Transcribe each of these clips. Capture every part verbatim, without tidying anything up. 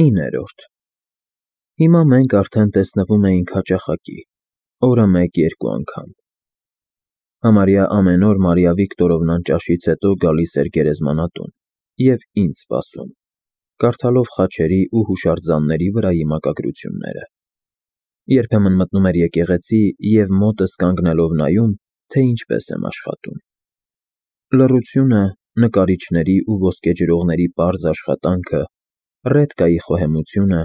իններորդ Հիմա մենք արդեն տեսնվում էինք հաճախակի, օրը մեկ֊երկու անգամ. համարյա ամեն օր Մարիա Վիկտորովնան ճաշից հետո գալիս էր գերեզմանատուն և ինձ սպասում, կարդալով Խաչերի ու հուշարձանների վրայի մակագրությունները, երբեմն մտնում էր եկեղեցի և մոտս կանգնելով նայում, թե ինչպես եմ աշխատում: Լռությունը, նկարիչների ու ոսկեջրողների պարզ աշխատանքը, ռետկայի խոհեմությունը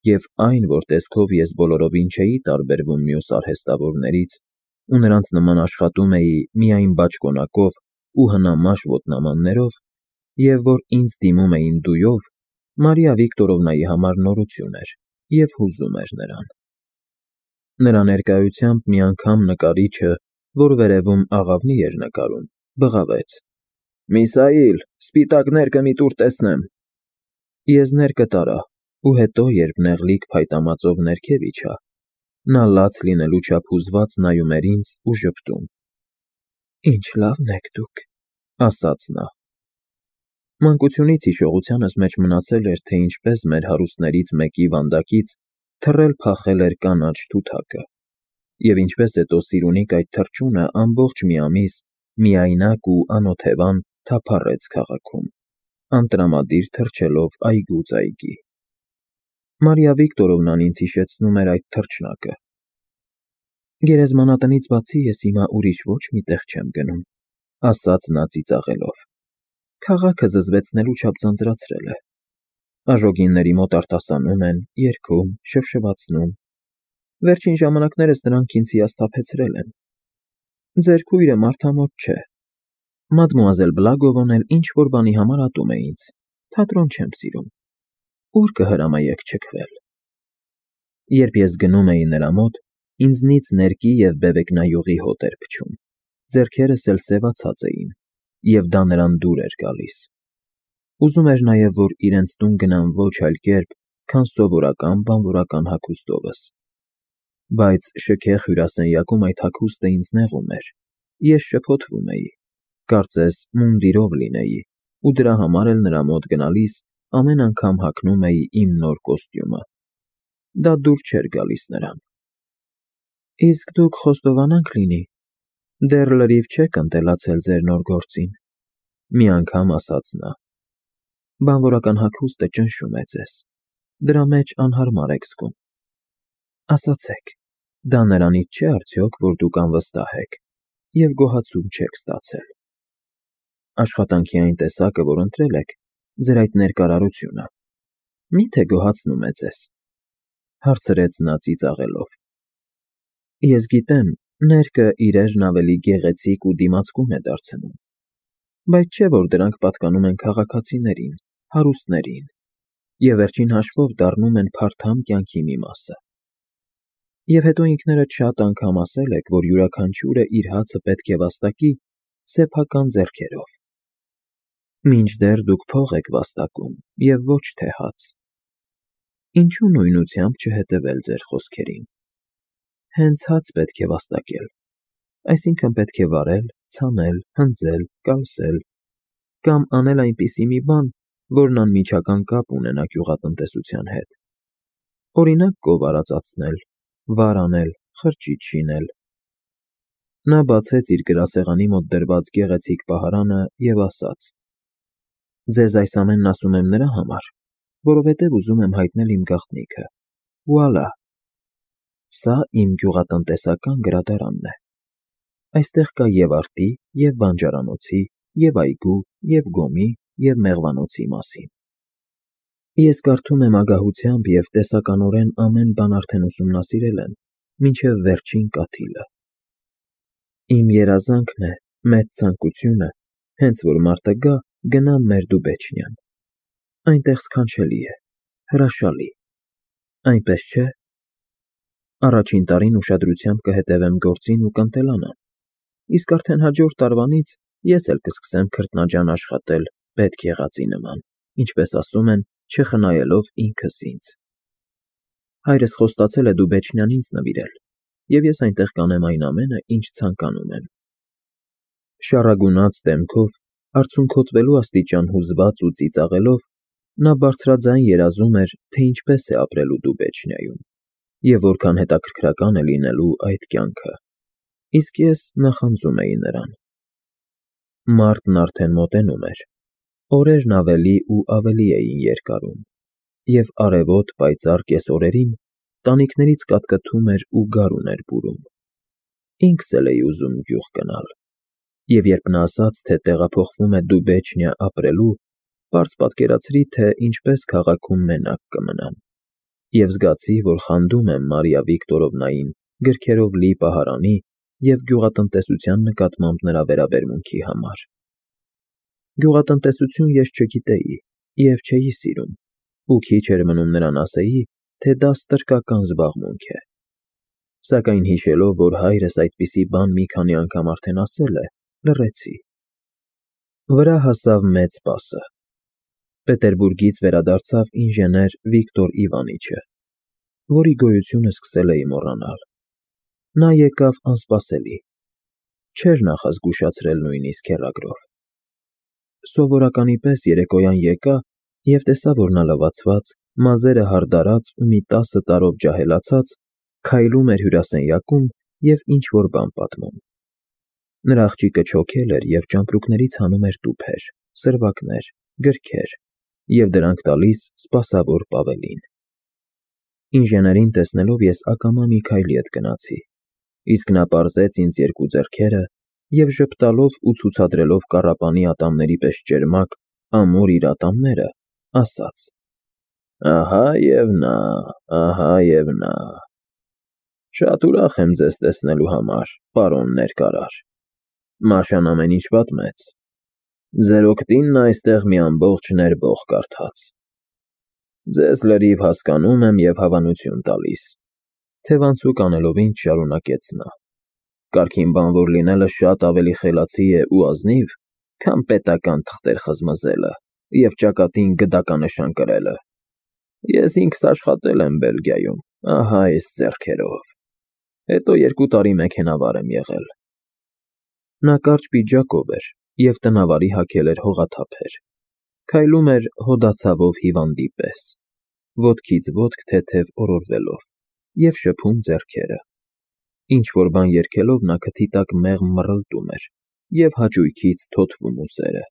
և այն, որ տեսքով ես բոլորովին չէի տարբերվում մյուս արհեստավորներից ու նրանց նման աշխատում էի միայն բաճկոնակով ու հնամաշ ոտնամաններով և որ ինձ դիմում էին դույով, Մարիա Վիկտորովնայի համար նորություն էր և հուզում էր նրան: Նրա ներկայությամբ մի անգամ նկարիչը, որ վերևում աղավնի էր նկարում, բղավեց. «Միսայիլ, սպիտակ ներկը մի տուր տեսնեմ»: Ես ներկը տարա ու հետո, երբ նեղլիկ փայտամածով ներքև իջա, նա լաց լինելու չափ հուզված նայում էր ինձ ու ժպտում: «Ինչ լավն եք դուք», ասաց նա: Մանկությունից հիշողությանս մեջ մնացել էր, թե ինչպես մեր հարուստներից մեկի վանդակից թռել-փախել էր կանաչ թութակը և ինչպես հետո Սիրունիկ այդ թռչունը ամբողջ մի ամիս միայնակ ու անօթևան թափառեց քաղաքում, անտրամադիր թռչելով այգուց այգի: Մարիա Վիկտորովնան ինձ հիշեցնում էր այդ թռչնակը: «Գերեզմանատնից բացի ես հիմա ուրիշ ոչ մի տեղ չեմ գնում», ասաց նա ծիծաղելով: «Քաղաքը զզվեցնելու չափ ձանձրացրել է: Աժոգինների մոտ արտասանում են, երգում, շվշվացնում: Վերջին ժամանակներս դրանք ինձ հիասթափեցրել են: Ձեր քույրը մարդամոտ չէ: Մադմուազել Բլագովն էլ ինչ-որ բանի համար ատում է ինձ, թատրոն չեմ սիրում: Ո՞ւր կհրամայեք չքվել»: Երբ ես գնում էի նրա մոտ, ինձնից ներկի և բևեկնայուղի հոտ էր փչում, ձեռքերս էլ սևացած էին, և դա նրան դուր էր գալիս: Ուզում էր նաև, որ իրենց տուն գնամ ոչ այլ կերպ, քան սովորական բանվորական հագուստովս: Բայց շքեղ հյուրասենյակում այդ հագուստը ինձ նեղում էր, ես շփոթվում էի, կարծես մունդիրով լինեի ու դրա համար էլ նրա մոտ գնալիս ամեն անգամ հագնում էի իմ նոր կոստյումը: Դա դուր չէր գալիս նրան: «Իսկ դուք խոստովանանք լինի, դեռ լրիվ չեք ընտելացել ձեր նոր գործին», մի անգամ ասաց նա: «Բանվորական հագուստը ճնշում է ձեզ, դրա մեջ անհարմար եք զգում: Ասացեք, դա նրանից չէ արդյոք, որ դուք անվստահ եք և գոհացում չեք ստացել: Աշխատանքի այն տեսակը, որ ընտրել եք, ձեր այդ ներկարարությունը, մի՞թե գոհացնում է ձեզ»: Հարցրեց նա ծիծաղելով: Ես գիտեմ, ներկը իրերն ավելի գեղեցիկ ու դիմացկուն է դարձնում, բայց չէ՞ որ դրանք պատկանում են քաղաքացիներին, հարուստներին և վերջին հաշվով դառնում են փարթամ կյանքի մի մասը: Եվ հետո ինքներդ շատ անգամ ասել եք, որ յուրաքանչյուրը իր հացը պետք է վաստակի սեփական ձեռքերով: Մինչդեռ դուք փող եք վաստակում և ոչ թե հաց: Ինչու նույնությամբ չհետևել ձեր խոսքերին: Հենց հաց պետք է վաստակել, այսինքն պետք է վարել, ցանել, հնձել, կալսել կամ անել այնպիսի մի բան, որն անմիջական կապ ունենա գյուղատնտեսության հետ: Օրինակ կով արածացնել, վար անել, խրճիթ շինել: Նա բացեց իր գրասեղանի մոտ դրված գեղեցիկ պահարանը և ասաց. «Ձեզ այս ամենն ասում եմ նրա համար, որովհետև ուզում եմ հայտնել իմ գաղտնիքը: Վուալա: Սա իմ գյուղատնտեսական գրադարանն է: Այստեղ կա և արտի, և բանջարանոցի, և այգու, և գոմի, և մեղվանոցի մասին: Ես կարդում եմ ագահությամբ և տեսականորեն ամեն բան արդեն ուսումնասիրել եմ, մինչև վերջին կաթիլը: Իմ երազանքն է, մեծ ցանկությունը, հենց որ մարտը գա, գնամ մեր Դուբեչնիան: Այնտեղ սքանչելի է, հրաշալի: Այնպես չէ՞: Առաջին տարին ուշադրությամբ կհետևեմ գործին ու կընտելանամ, իսկ արդեն հաջորդ տարվանից ես էլ կսկսեմ քրտնաջան աշխատել պետք եղածի նման, ինչպես ասում են, չխնայելով ինքս ինձ: Հայրս խոստացել է Դուբեչնիան ինձ նվիրել և ես այնտեղ կանեմ այն ամենը, ինչ ցանկանում եմ»: Շառագունած դեմքով, արցունքոտվելու աստիճան հուզված ու ծիծաղելով, Նա բարձրաձայն երազում էր, թե ինչպես է ապրելու Դուբեչնիայում և որքան հետաքրքրական է լինելու այդ կյանքը, իսկ ես նախանձում էի նրան։ Մարտն արդեն մոտենում էր, օրերն ավելի ու ավելի էին երկարում, և արևոտ պայծառ կեսօրերին տանիքներից կատկթում էր ու գարուն էր բուրում։ Ինքս էլ էի ուզում գյուղ գնալ, և երբ նա ասաց, թե տեղափոխվում է Դուբեչնիա ապրելու, պարզ պատկերացրի, թե ինչպես քաղաքում մենակ կմնամ, և զգացի, որ խանդում եմ Մարիա Վիկտորովնային գրքերով լի պահարանի և գյուղատնտեսության նկատմամբ նրա վերաբերմունքի համար։ Գյուղատնտեսություն ես չգիտեի և չէի սիրում, ու քիչ էր մնում նրան ասեի, թե դա ստրկական զբաղմունք է։ Սակայն հիշելով, որ հայրս այդպիսի բան մի քանի անգամ արդեն ասել է, լռեցի։ Վրա հասավ մեծ պասը։ Պետերբուրգից վերադարձավ ինժեներ Վիկտոր Իվանիչը, որի գոյությունը սկսել էի մոռանալ։ Նա եկավ անսպասելի, չէր նախազգուշացրել նույնիսկ հեռագրով։ Սովորականի պես երեկոյան եկա և տեսա, որ նա լվացված, մազերը հարդարած ու մի տասը տարով ջահելացած, քայլում էր հյուրասենյակում և ինչ֊որ բան պատմում։ Նրա աղջիկը չոքել էր և ճամպրուկներից հանում էր տուփեր, սրվակներ, գրքեր և դրանք տալիս սպասավոր Պավելին։ Ինժեներին տեսնելով ես ակամա մի քայլի հետ գնացի, իսկ նա պարզեց ինձ երկու ձեռքերը և ժպտալով ու ցուցադրելով կառապանի ատամների պես ճերմակ, ամուր իր ատամները, ասաց. «Ահա և նա, ահա և նա… Շատ ուրախ եմ ձեզ տեսնելու համար, պարոն ներկարար… Մաշան ամեն ինչ պատմեց… Ձեր օգտինն այստեղ մի ամբողջ ներբող կարդաց… Ձեզ լրիվ հասկանում եմ և հավանություն տալիս…»։ Թևանցուկ անելով ինձ շարունակեց նա. «Կարգին բանվոր լինելը շատ ավելի խելացի է ու ազնիվ, քան պետական թղթեր խզմզելը և ճակատին գդականնշան կրելը… Ես ինքս աշխատել եմ Բելգիայում, ահա այս ձեռքերով… Հետո երկու տարի մեքենավար եմ եղել»։ Նա կարճ պիջակով էր և տնավարի հագել էր հողաթափեր, քայլում էր հոդացավով հիվանդի պես, ոտքից ոտք թեթև օրորվելով, և շփում ձեռքերը։ Ինչ֊որ բան երգելով նա քթի տակ մեղմ մռլտում էր և հաճույքից թոթվում ուսերը,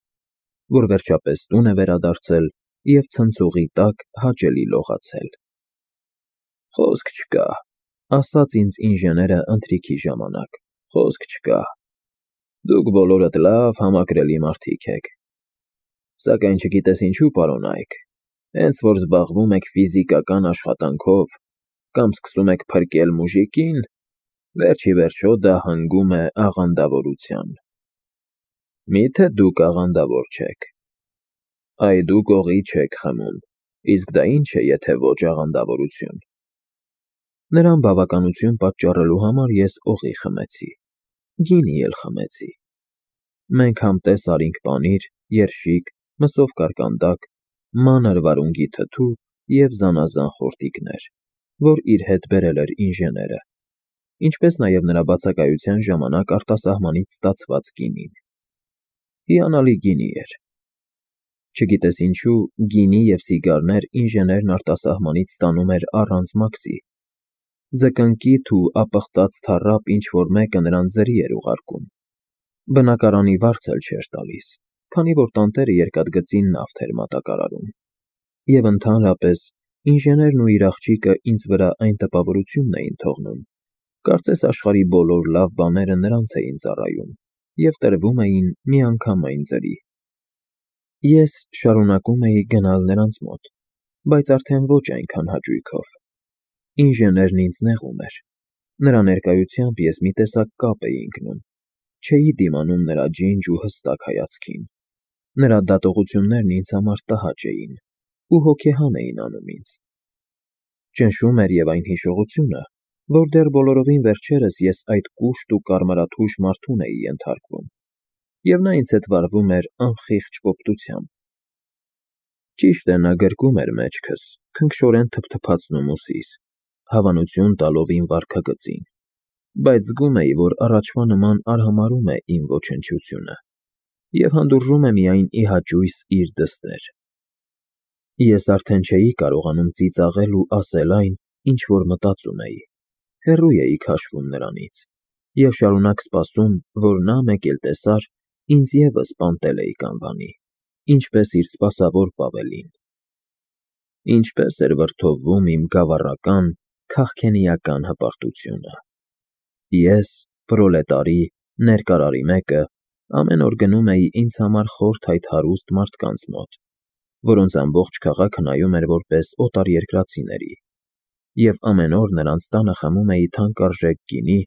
որ վերջապես տուն է վերադարձել և ցնցողի տակ հաճելի լողացել։ «Խոսք չկա,» ասաց ինձ ինժեները ընթրիքի ժամանակ, «խոսք չկա… Դուք բոլորդ լավ, համակրելի մարդիկ եք… Սակայն չգիտես ինչու, պարոն Այք, հենց որ զբաղվում եք ֆիզիկական աշխատանքով կամ սկսում եք փրկել մուժիկին, վերջ ի վերջո դա հանգում է աղանդավորության… Մի՞թե դուք աղանդավոր չեք… Այ դուք օղի չեք խմում, իսկ դա ի՞նչ է, եթե ոչ աղանդավորություն»։ Նրան բավականություն պատճառելու համար ես օղի խմեցի, գինի էլ խմեցի։ Մենք համտես արինք պանիր, երշիկ, մսով կարկանդակ, մանր վարունգի թթու և զանազան խորտիկներ, որ իր հետ բերել էր ինժեները, ինչպես նաև նրա բացակայության ժամանակ արտասահմանից ստացված գինին։ Հիանալի գինի էր։ Չգիտես ինչու, գինի և սիգարներ ինժեներն արտասահմանից ստանում էր առանց մաքսի։ Ձկնկիթ ու ապխտած թառապ ինչ֊որ մեկը նրան ձրի էր ուղարկում, բնակարանի վարձ էլ չէր տալիս, քանի որ տանտերը երկաթգծին նավթ էր մատակարարում։ Եվ ընդհանրապես ինժեներն ու իր աղջիկը ինձ վրա այն տպավորությունն էին թողնում, կարծես աշխարհի բոլոր լավ բաները նրանց էին ծառայում և տրվում էին միանգամայն ձրի։ Ես շարունակում էի գնալ նրանց մոտ, բայց արդեն ոչ այնքան հաճույքով։ Ինժեներն ինձ նեղում էր։ Նրա ներկայությամբ ես մի տեսակ կապ էի ընկնում, չէի դիմանում նրա ջինջ ու հստակ հայացքին։ Նրա դատողություններն ինձ համար տհաճ էին ու հոգեհան էին անում ինձ։ Ճնշում էր և այն հիշողությունը, որ դեռ բոլորովին վերջերս ես այդ կուշտ ու կարմրաթույժ մարդուն էի ենթարկվում, և նա ինձ հետ վարվում էր անխիղճ կոպտությամբ։ Ճիշտ է, նա գրկում էր մեջքս, քնքշորեն թփթփացնում ուսիս, հավանություն տալով իմ վարքագծին, բայց զգում էի, որ առաջվա նման արհամարհում է իմ ոչնչությունը և հանդուրժում է միայն ի հաճույս իր դստեր։ Ես արդեն չէի կարողանում ծիծաղել ու ասել այն, ինչ որ մտածում էի, հեռու էի քաշվում նրանից և շարունակ սպասում, որ նա մեկ էլ տեսար, ինձ ևս պանտելեյ կանվանի, ինչպես իր սպասավոր Պավելին։ Ինչպես էր վրդովվում իմ գավառական, քաղքենիական հպարտությունը։ Ես, պրոլետարի, ներկարարի մեկը, ամեն օր գնում էի ինձ համար խորթ այդ հարուստ մարդկանց մոտ, որոնց ամբողջ քաղաքը նայում էր որպես օտարերկրացիների, և ամեն օր նրանց տանը խմում էի թանկարժեք գինի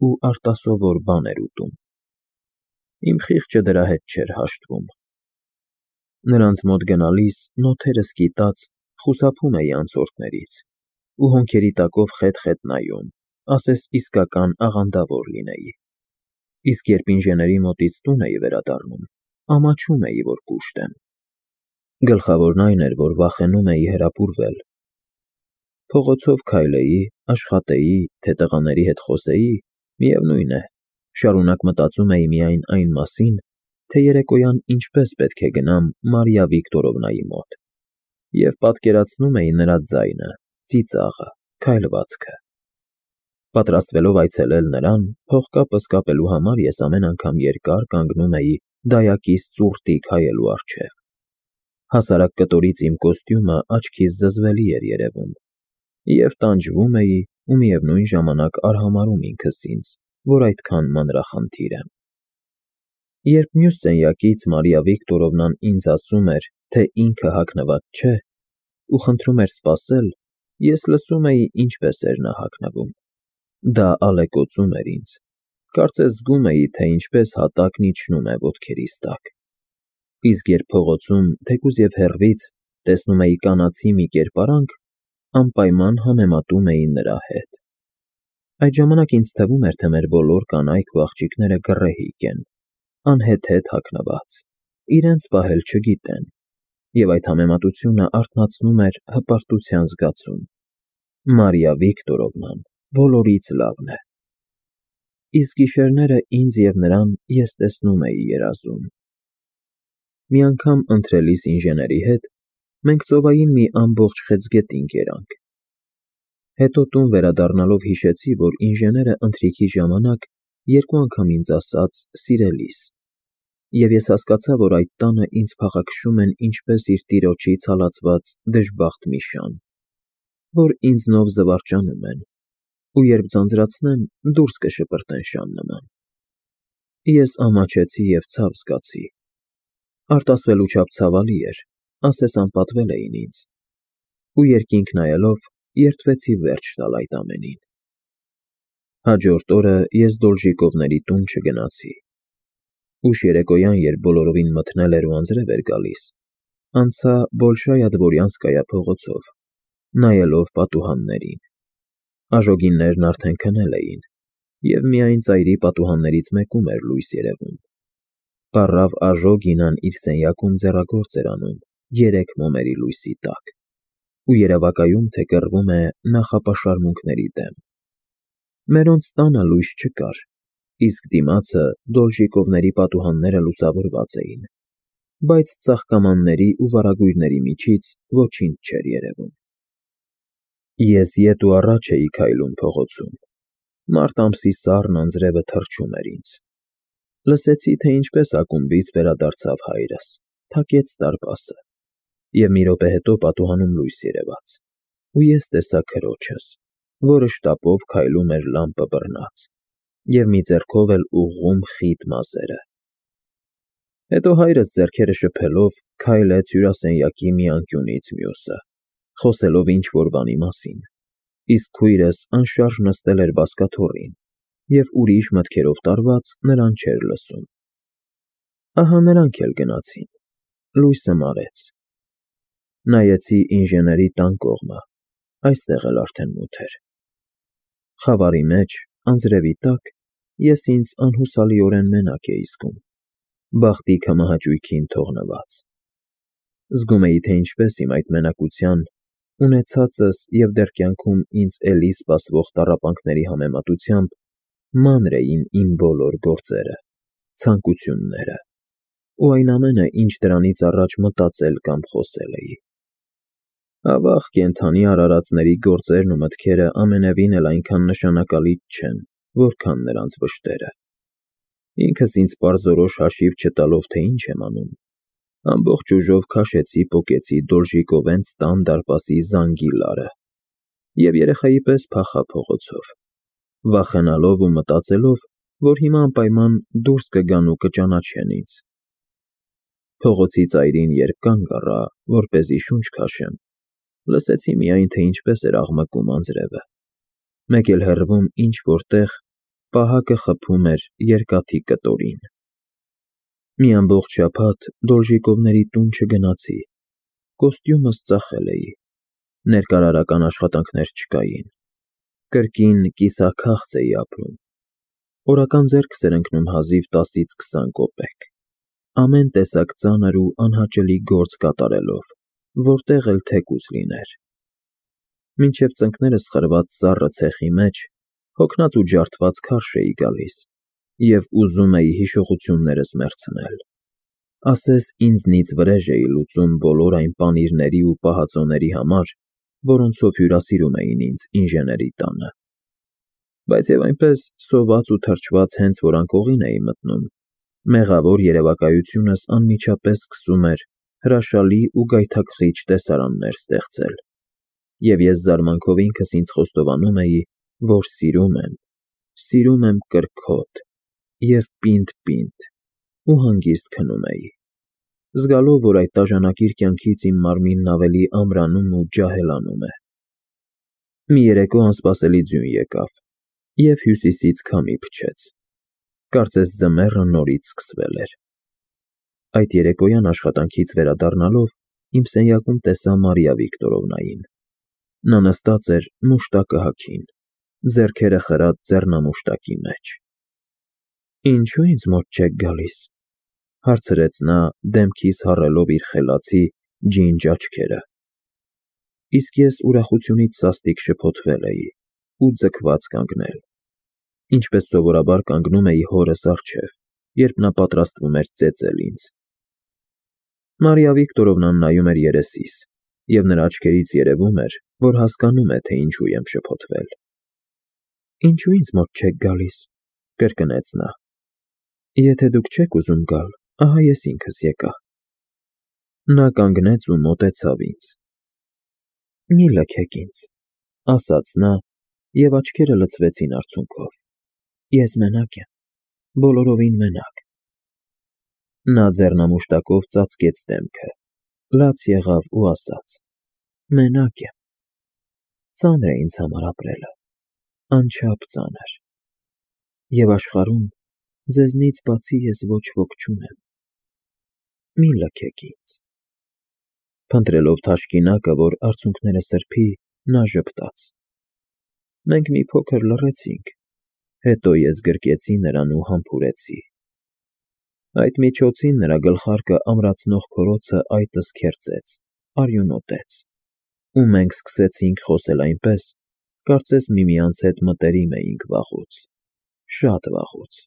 ու արտասովոր բաներ ուտում։ Իմ խիղճը դրա հետ չէր հաշտվում։ Նրանց մոտ գնալիս նոթերս կիտած խուսափում էի անցորդներից ու հոնքերի տակով խետ-խետ նայում, ասես իսկական աղանդավոր լինեի, իսկ երբ ինժեների մոտից տուն էի վերադառնում, ամաչում էի, որ կուշտ եմ։ Գլխավորն այն էր, որ վախենում էի հրապուրվել։ Փողոցով քայլեի, աշխատեի, թե տղաների հետ խոսեի, միևնույն է, շարունակ մտածում էի միայն այն մասին, թե երեկոյան ինչպես պետք է գնամ Մարիա Վիկտորովնայի մոտ, և պատկերացնում էի նրա ձայնը, ծիծաղը, քայլվածքը։ Պատրաստվելով այցելել նրան, փողկապս կապելու համար ես ամեն անգամ երկար կանգնում էի դայակիս ծուռտիկ հայելու առջև։ Հասարակ կտորից իմ կոստյումը աչքիս զզվելի էր երևում, և տանջվում էի ու միևնույն ժամանակ արհամարհում ինքս ինձ, որ այդքան մանրախնդիր եմ։ Երբ մյուս սենյակից Մարիա Վիկտորովնան ինձ ասում էր, թե ինքը հագնված չէ, ու խնդրում էր սպասել, ես լսում էի ինչպես էր նա հագնվում։ Դա ալեկոծում էր ինձ, կարծես զգում էի, թե ինչպես հատակն իջնում է ոտքերիս տակ։ Իսկ երբ փողոցում, թեկուզ և հեռվից, տեսնում էի կանացի մի կերպարանք, անպայման համեմատում էի նրա հետ։ Այդ ժամանակ ինձ թվում էր, թե մեր բոլոր կանայք ու աղջիկները գռեհիկ են, անհեթեթ հագնված, իրենց պահել չգիտեն, և այդ համեմատությունը արթնացնում էր հպարտության զգացում։ Մարիա Վիկտորովնան բոլորից լավն է։ Իսկ գիշերները ինձ և նրան ես տեսնում էի երազում։ Մի անգամ ընթրելիս ինժեների հետ, մենք ծովային մի ամբողջ խեցգետին կերանք։ Հետո տուն վերադառնալով հիշեցի, որ ինժեները ընթրիքի ժամանակ երկու անգամ ինձ ասաց «սիրելիս», և ես հասկացա, որ այդ տանը ինձ փաղաքշում են ինչպես իր տիրոջից հալածված դժբախտ մի շան, որ ինձնով զվարճանում են, ու երբ ձանձրացնեմ, դուրս կշպրտեն շան նման։ Ես ամաչեցի և ցավ զգացի։ Արտասվելու չափ ցավալի էր, ասես անպատվել էին ինձ, ու երկինք նայելով, երդվեցի վերջ տալ այդ ամենին։ Հաջորդ օրը ես Դոլժիկովների տուն չգնացի։ Ուշ երեկոյան, երբ բոլորովին մթնել էր ու անձրև էր գալիս, անցա Բոլշայա Դվորյանսկայա փողոցով, նայելով պատուհաններին։ Աժոգիններն արդեն քնել էին, և միայն ծայրի պատուհաններից մեկում էր լույս երևում։ Պառավ Աժոգինան իր սենյակում ձեռագործ էր անում երեք մոմերի լույսի տակ, ու երևակայում, թե կռվում է նախապաշարմունքների դեմ։ Մերոնց տանը լույս չկար, իսկ դիմացը Դոլժիկովների պատուհանները լուսավորված էին, բայց ծաղկամանների ու վարագույրների միջից ոչինչ չէր երևում։ Ես ետ ու առաջ էի քայլում փողոցում։ Մարտ ամսի սառն անձրևը թռչում էր ինձ։ Լսեցի, թե ինչպես ակումբից վերադարձավ հայրս, թակեց դարպասը, և մի րոպե հետո պատուհանում լույս երևաց, ու ես տեսա քրոջս, որը շտապով քայլում էր լամպը բռնած, և մի ձեռքով էլ ուղղում խիտ մազերը։ Հետո հայրս ձեռքերը շփելով քայլեց հյուրասենյակի մի անկյունից մյուսը, խոսելով ինչ֊որ բանի մասին, իսկ քույրս անշարժ նստել էր բազկաթոռին և ուրիշ մտքերով տարված նրան չէր լսում։ Ահա նրանք էլ գնացին, լույսը մարեց։ Նայեցի ինժեների տան կողմը, այստեղ էլ արդեն մութ էր։ Խավարի մեջ, անձրևի տակ, ես ինձ անհուսալիորեն մենակ էի զգում, բախտի քմահաճույքին թողնված։ Զգում էի, թե ինչպես իմ այդ մենակության, ունեցածս և դեռ կյանքում ինձ էլի սպասվող տառապանքների համեմատությամբ մանր էին իմ բոլոր գործերը, ցանկությունները ու այն ամենը, ինչ դրանից առաջ մտածել կամ խոսել էի։ Ավաղ կենդանի արարածների գործերն ու մտքերը ամենևին էլ այնքան նշանակալից չեն, որքան նրանց վշտերը։ Ինքս ինձ պարզորոշ հաշիվ չտալով, թե ինչ եմ անում, ամբողջ ուժով քաշեցի պոկեցի Դոլժիկովենց տան դարպասի զանգի լարը և երեխայի պես փախա փողոցով, վախենալով ու մտածելով, որ հիմա անպայման դուրս կգան ու կճանաչեն ինձ։ Փողոցի ծայրին երբ կանգ առա, որպեսզի շունչ քաշեմ, լսեցի միայն, թե ինչպես էր աղմկում անձրևը, մեկ էլ հեռվում ինչ֊որ տեղ պահակը խփում էր երկաթի կտորին։ Մի ամբողջ շաբաթ Դոլժիկովների տուն չգնացի, կոստյումս ծախել էի, ներկարարական աշխատանքներ չկային, կրկին կիսաքաղց էի ապրում, օրական ձեռքս էր ընկնում հազիվ տասից քսան կոպեկ, ամեն տեսակ ծանր ու անհաճելի գործ կատարելով, որտեղ էլ թեկուզ լիներ։ Մինչև ծնկներս խրված սառը ցեխի մեջ հոգնած ու ջարդված քարշ էի գալիս և ուզում էի հիշողություններս մեռցնել, ասես ինձնից վրեժ էի լուծում բոլոր այն պանիրների ու պահածոների համար, որոնցով հյուրասիրում էին ինձ ինժեների տանը։ Բայց և այնպես սոված ու թրջված հենց որ անկողին էի մտնում, մեղավոր երևակայությունս անմիջապես սկսում էր հրաշալի ու գայթակղիչ տեսարաններ ստեղծել, և ես զարմանքով ինքս ինձ խոստովանում էի, որ սիրում եմ, սիրում եմ կրքոտ և պինդ֊պինդ ու հանգիստ քնում էի, զգալով, որ այդ տաժանակիր կյանքից իմ մարմինն ավելի ամրանում ու ջահելանում է։ Մի երեկո անսպասելի ձյուն եկավ և հյուսիսից քամի փչեց, կարծես ձմեռը նորից սկսվել էր։ Այդ երեկոյան աշխատանքից վերադառնալով իմ սենյակում տեսա Մարիա Վիկտորովնային, նա նստած էր մուշտակը հագին, ձեռքերը խրած ձեռնամուշտակի մեջ։ «Ինչո՞ւ ինձ մոտ չեք գալիս», հարցրեց նա դեմքիս հառելով իր խելացի, ջինջ աչքերը, իսկ ես ուրախությունից սաստիկ շփոթվել էի ու ձգված կանգնել, ինչպես սովորաբար կանգնում էի հորս առջև, երբ նա պատրաստվում էր ծեծել ինձ։ Մարիա Վիկտորովնան նայում էր երեսիս, և նրա աչքերից երևում էր, որ հասկանում է, թե ինչու եմ շփոթվել։ «Ինչո՞ւ ինձ մոտ չեք գալիս», կրկնեց նա։ «Եթե դուք չեք ուզում գալ, ահա ես ինքս եկա»։ Նա կանգնեց ու մոտեցավ ինձ։ «Մի լքեք ինձ», ասաց նա, և աչքերը լցվեցին արցունքով։ «Ես մենակ եմ, բոլորովին մենակ»։ Նա ձեռնամուշտակով ծածկեց դեմքը, լաց եղավ ու ասաց. «Մենակ եմ։ Ծանր է ինձ համար ապրելը, անչափ ծանր, և աշխարհում ձեզնից բացի ես ոչ ոք չունեմ։ Մի լքեք ինձ»։ Փնտրելով թաշկինակը, որ արցունքները սրբի, նա ժպտաց. «Մենք մի փոքր լռեցինք, հետո ես գրկեցի նրան ու համբուրեցի։ Այդ միջոցին նրա գլխարկը ամրացնող քորոցը այտս քերծեց, արյունոտեց, ու մենք սկսեցինք խոսել այնպես, կարծես միմյանց հետ մտերիմ էինք վաղուց, շատ վաղուց»։